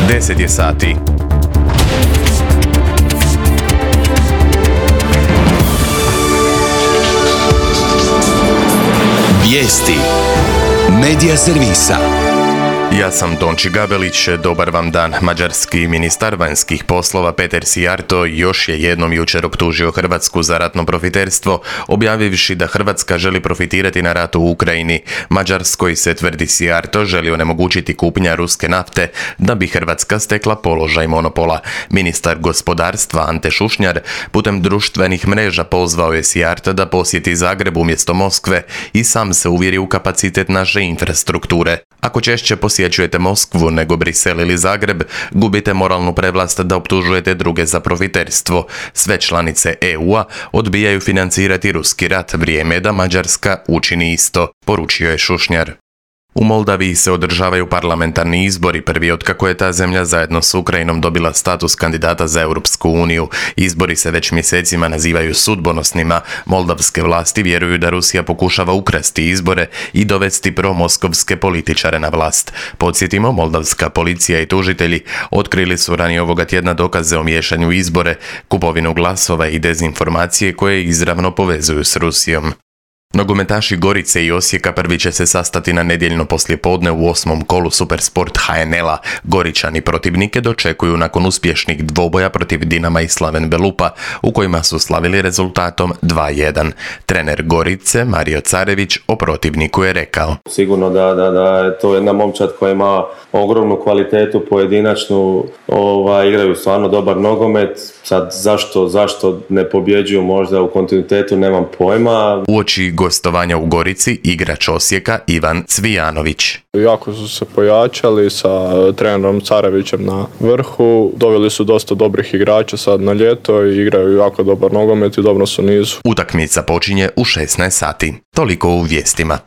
10 je sati. Vijesti Medija servisa. Ja sam Tonči Gabelić, dobar vam dan. Mađarski ministar vanjskih poslova Peter Sijarto još je jednom jučer optužio Hrvatsku za ratno profiterstvo, objavivši da Hrvatska želi profitirati na ratu u Ukrajini. Mađarskoj se, tvrdi Sijarto, želi onemogućiti kupnja ruske nafte da bi Hrvatska stekla položaj monopola. Ministar gospodarstva Ante Šušnjar putem društvenih mreža pozvao je Sijarta da posjeti Zagreb umjesto Moskve i sam se uvjeri u kapacitet naše infrastrukture. Ako češće posjećujete Moskvu nego Brisel ili Zagreb, gubite moralnu prevlast da optužujete druge za profiterstvo. Sve članice EU-a odbijaju financirati ruski rat, vrijeme je da Mađarska učini isto, poručio je Šušnjar. U Moldaviji se održavaju parlamentarni izbori, prvi otkako je ta zemlja zajedno s Ukrajinom dobila status kandidata za Europsku uniju. Izbori se već mjesecima nazivaju sudbonosnima. Moldavske vlasti vjeruju da Rusija pokušava ukrasti izbore i dovesti promoskovske političare na vlast. Podsjetimo, moldavska policija i tužitelji otkrili su ranije ovoga tjedna dokaze o miješanju u izbore, kupovinu glasova i dezinformacije koje izravno povezuju s Rusijom. Nogometaši Gorice i Osijeka prvi će se sastati na nedjeljno poslijepodne u 8. kolu Supersport HNL-a. Goričani protivnike dočekuju nakon uspješnih dvoboja protiv Dinama i Slaven Belupa, u kojima su slavili rezultatom 2:1. Trener Gorice, Mario Carević, o protivniku je rekao: Sigurno da je to jedna momčad koja ima ogromnu kvalitetu pojedinačnu, igraju stvarno dobar nogomet. Sad zašto ne pobjeđuju možda u kontinuitetu, nemam pojma. Uoči gostovanja u Gorici, igrač Osijeka Ivan Cvijanović. Jako su se pojačali sa trenerom Carevićem na vrhu, doveli su dosta dobrih igrača sad na ljeto i igraju jako dobar nogomet i dobro su nizu. Utakmica počinje u 16 sati. Toliko u vijestima.